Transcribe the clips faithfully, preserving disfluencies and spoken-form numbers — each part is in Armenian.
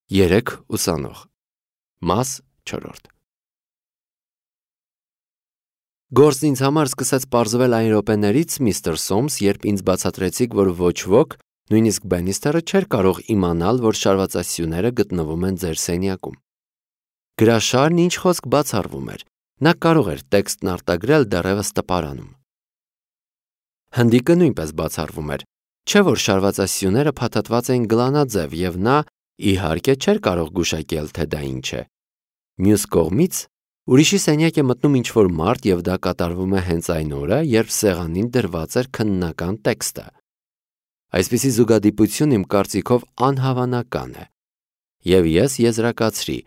Երեք ուսանող։ Մաս չորրորդ։ Գործն ինձ համար սկսեց պարզվել այն րոպեներից, միստր Սոմս, երբ ինձ բացատրեցիք, որ ոչ ոք, նույնիսկ Բենիստերը չէր կարող իմանալ, որ շարվածասյուները գտնվում են ձեր սենյակում։ Գրաշարն ինչ խոսք բացառվում էր, նա կարող էր տեքստն արտագրել դեռևս տպարանում։ Հնդիկը նույնպես բացառվում էր, չէ՞ որ շարվածասյուները փաթաթված էին գլանաձև և նա, իհարկե, չէր կարող գուշակել, թե դա ինչ է։ Մյուս կողմից, ուրիշի սենյակ է մտնում ինչ-որ մարդ և դա կատարվում է հենց այն օրը, երբ սեղանին դրված էր քննական տեքստը։ Այսպիսի զուգադիպություն իմ կարծիքով անհավանական է։ Եվ ես եզրակացրի,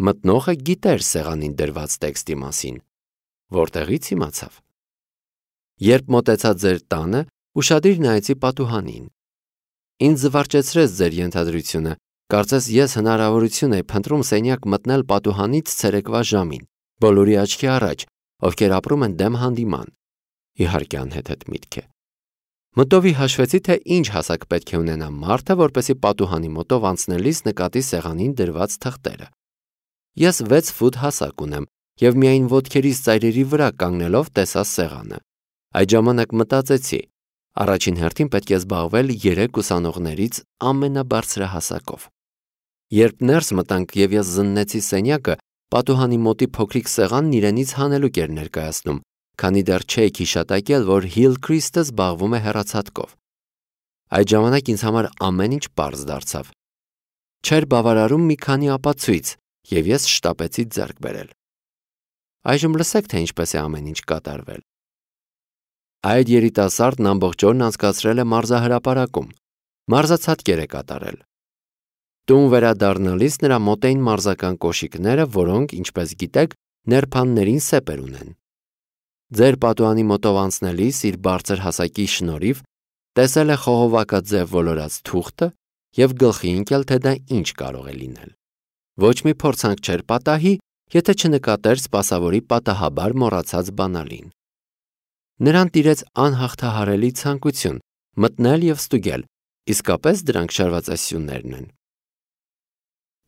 մտնողը գիտեր սեղանին դրված տեքստի մասին։ Որտեղից իմացավ։ Երբ մոտեցա ձեր տանը, ուշադիր նայեցի պատուհանին։ Ինձ զվարճեցրեց ձեր ենթադրությունը, կարծես ես հնարավորություն էի փնտրում սենյակ մտնել պատուհանից ցերեկվա ժամին, բոլորի աչքի առաջ, ովքեր ապրում են դեմ հանդիման։ Իհարկե անհեթեթ միտք է։ Մտովի հաշվեցի, թե ինչ հասակ պետք է ունենա մարդը, որպեսզի պատուհանի մոտով անցնելիս նկատի սեղանին դրված թղթերը։ Ես վեց ֆուտ հասակ ունեմ և միայն ոտքերիս ծայրերի վրա կանգնելով տեսա սեղանը։ Այդ ժամանակ մտածեցի, առաջին հերթին պետք է զբաղվել երեք ուսանողներից ամենաբարձրահասակով։ Երբ ներս մտանք և ես զննեցի սենյակը, պատուհանի մոտի փոքրիկ սեղանն իրենից հանելուկ էր ներկայացնում, քանի դեռ չէիք հիշատակել, որ Հիլքրիստը զբաղվում է հեռացատկով։ Այդ ժամանակ ինձ համար ամեն ինչ պարզ դարձավ։ Չէր բավարարում մի քանի ապացույց, և ես շտապեցի ձեռք բերել։ Այժմ լսեք, թե ինչպես է ամեն ինչ կատարվել։ Այդ երիտասարդն ամբողջ օրն անցկացրել է մարզահրապարակում, մարզացատկեր է կատարել։ Տուն վերադառնալիս նրա մոտ էին մարզական կոշիկները, որոնք, ինչպես գիտեք, ներփաններին սեպեր ունեն։ Ձեր պատուհանի մոտով անցնելիս իր բարձր հասակի շնորհիվ տեսել է խողովակաձև ոլորած թուղթը և գլխի ընկել, թե դա ինչ կարող է լինել։ Ոչ մի փորձանք չէր պատահի, եթե չնկատեր սպասավորի պատահաբար մոռացած բանալին։ Նրան տիրեց անհաղթահարելի ցանկություն մտնել և ստուգել, իսկապես դրանք շարվածասյուներն են։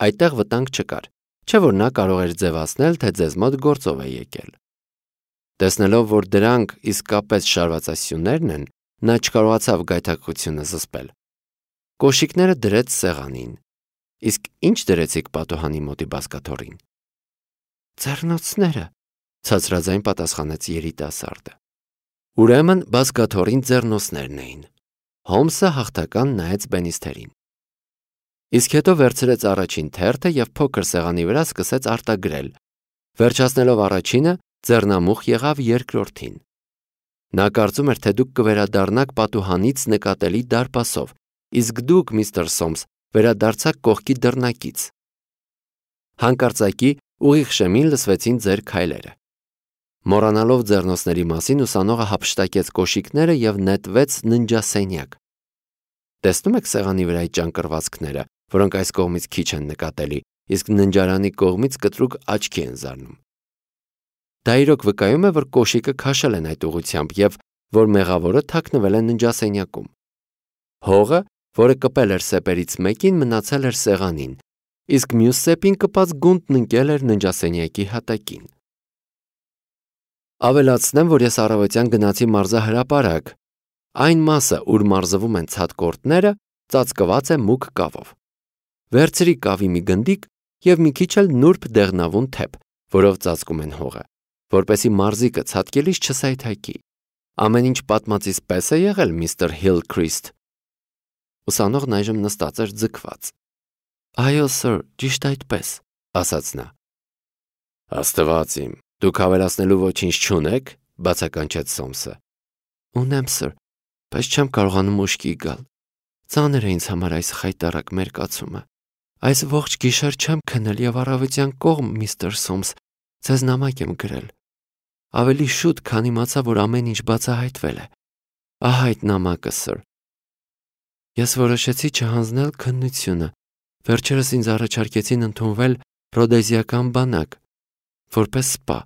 Այդտեղ վտանգ չկար, չէ՞ որ նա կարող էր ձևացնել, թե ձեզ մոտ գործով է եկել։ Տեսնելով, որ դրանք իսկապես շարվածասյուներն են, նա չկարողացավ գայթակղությունը զսպել։ Կոշիկները դրեց սեղանին։ Իսկ ի՞նչ դրեցիք պատուհանի մոտի բազկաթոռին։ Ձեռնոցները, ցածրաձայն պատասխանեց երիտասարդը։ Ուրեմն բազկաթոռին ձեռնոցներն էին։ Հոմսը հաղթական նայեց Բենիստերին։ Իսկ հետո վերցրեց առաջին թերթը և փոքր սեղանի վրա սկսեց արտագրել։ Վերջացնելով առաջինը, ձեռնամուխ եղավ երկրորդին։ Նա կարծում էր, թե դուք կվերադառնաք պատուհանից նկատելի դարպասով, իսկ դուք, միստր Սոմս, վերադարձաք կողքի դռնակից։ Հանկարծակի ուղիղ շեմին լսվեցին ձեր քայլերը։ Մոռանալով ձեռնոցների մասին, ուսանողը հափշտակեց կոշիկները և նետվեց ննջասենյակ։ Տեսնում եք սեղանի վրա այդ ճանկռվածքները, որոնք այս կողմից քիչ են նկատելի, իսկ ննջարանի կողմից կտրուկ աչքի են զարնում։ Դա իրոք վկայում է, որ կոշիկը քաշել են այդ ուղղությամբ և որ մեղավորը թաքնվել է ննջասենյակում։ Հողը, որը կպել էր սեպերից մեկին, մնացել էր սեղանին, իսկ մյուս սեպին կպած գունդն ընկել էր ննջասենյակի հատակին։ Ավելացնեմ, որ ես առավոտյան գնացի մարզահրապարակ։ Այն մասը, ուր մարզվում են ցատկորտները, ծածկված է մուգ կավով։ Վերցրի կավի մի գնդիկ և մի քիչ էլ նուրբ դեղնավուն թեփ, որով ծածկում են հողը, որպեսզի մարզիկը ցատկելիս չսայթաքի։ Ամեն ինչ պատմածից պես է եղել, միստր Հիլքրիստ։ Ուսանողն այժմ նստած էր ձգված։ Այո, սըր, ճիշտ այդպես, ասաց նա։ Աստված իմ, դուք հավելացնելու ոչինչ չունեք, բացականչեց Սոմսը։ Ունեմ, սըր, բայց չեմ կարողանում ուշքի գալ։ Ծանր է ինձ համար այս խայտառակ մերկացումը։ Այս ողջ գիշեր չեմ քնել և առավոտյան կողմ, միստր Սոմս, ձեզ նամակ եմ գրել։ Ավելի շուտ, քան իմացա, որ ամեն ինչ բացահայտվել է։ Ահա այդ նամակը, սըր։ Ես որոշեցի չհանձնել քննությունը։ Վերջերս ինձ առաջարկեցին ընդունվել ռոդեզիական բանակ, որպես սպա,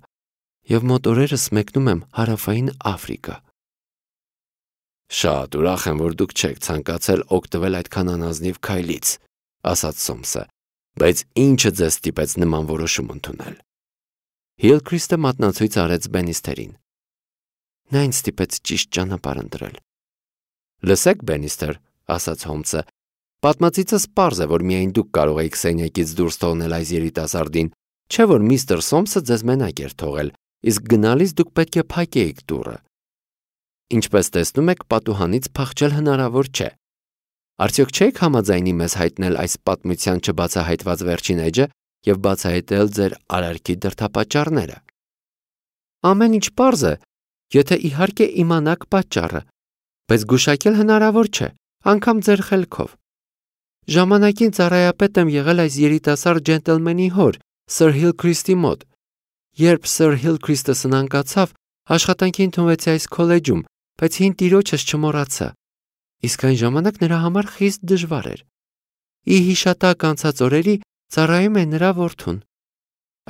և մոտ օրերս մեկնում եմ Հարավային Աֆրիկա։ Շատ ուրախ եմ, որ դուք չեք ցանկացել օգտվել այդքան անազնիվ քայլից, ասաց Սոմսը, Բայց ինչը ձեզ ստիպեց նման որոշում ընդունել։ Հիլքրիստը մատնացույց արեց Բենիստերին։ Նա ինձ ստիպեց ճիշտ ճանապարհ ընտրել։ Լսեք, Բենիստեր, ասաց Հոլմսը, պատմածիցս պարզ է, որ միայն դուք կարող եք սենյակից դուրս թողնել այս երիտասարդին, չէ՞ որ միստր Սոմսը ձեզ մենակ էր թողել, իսկ գնալիս դուք պետք է փակեիք դուռը։ Ինչպես տեսնում եք, պատուհանից փախչել հնարավոր չէ։ Արդյոք չեք համաձայնի մեզ հայտնել այս պատմության չբացահայտված վերջին էջը և բացահայտել ձեր արարքի դրդապատճառները։ Ամեն ինչ պարզ է, եթե իհարկե իմանաք պատճառը, բայց գուշակել հնարավոր չէ, անգամ ձեր խելքով։ Ժամանակին ծառայապետ եմ եղել այս երիտասարդ ջենտլմենի հոր, Սր Հիլքրիստի մոտ։ Երբ Սր Հիլքրիստը սնանկացավ, աշխատանքի ընդունվեցի այս քոլեջում, բայց հին տիրոջս չմոռացա։ Իսկ այն ժամանակ նրա համար խիստ դժվար էր։ Ի հիշատակ անցած օրերի ծառայում է նրա որդուն։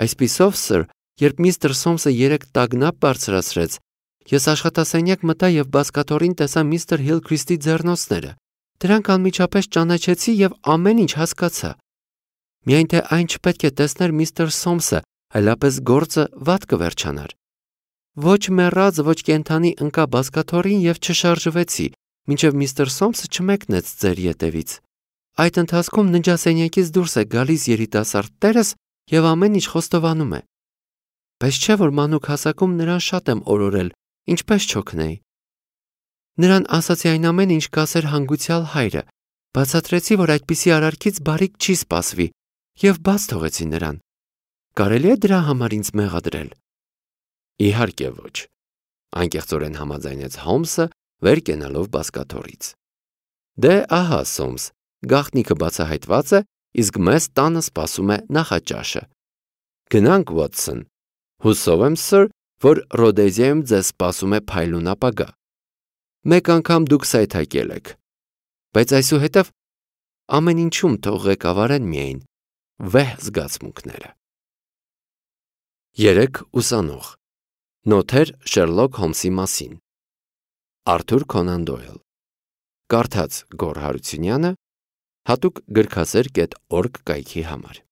Այսպիսով, սր, երբ միստր Սոմսը երեք տագնապ բարձրացրեց, ես աշխատասենյակ մտա և բազկաթոռին տեսա միստր Հիլքրիստի ձեռնոցները։ Դրանք անմիջապես ճանաչեցի և ամեն ինչ հասկացա։ Միայն թե այն չպետք է տեսներ միստր Սոմսը, այլապես գործը վատ կվերջանար։ Ոչ մեռած, ոչ կենդանի ընկա բազկաթոռին և չշարժվեցի, մինչև միստր Սոմսը չմեկնեց ձեր ետևից։ Այդ ընթացքում ննջասենյակից դուրս է գալիս երիտասարդ տերս և ամեն ինչ խոստովանում է։ Բայց չէ՞ որ մանուկ հասակում նրան շատ եմ օրորել, ինչպես չօգնեի։ Նրան ասացի այն ամենը, ինչ կասեր հանգուցյալ հայրը, բացատրեցի, որ այդպիսի արարքից բարիք չի սպասվի, և բաց թողեցի նրան։ Կարելի է դրա համար ինձ մեղադրել։ Իհարկե ոչ, անկեղծորեն համաձայնեց Հոլմսը, վեր կենալով բազկաթոռից։ Դե ահա, Սոմս, գաղտնիքը բացահայտված է, իսկ մեզ տանը սպասում է նախաճաշը։ Գնանք, Ուոտսոն, հուսով եմ, սր, որ Ռոդեզիայում ձեզ սպասում է փայլուն ապագա։ Մեկ անգամ դուք սայթաքել եք, բայց այսուհետև ամեն ինչում թող ղեկավարեն միայն վեհ զգացմունքները։ Երեք ուսանող։ Նոթեր Շերլոք Հոլմսի մասին։ Արթուր Քոնան Դոյլ։ Կարդաց Գոռ Հարությունյանը, հատուկ գրքասեր կետ օրգ կայքի համար։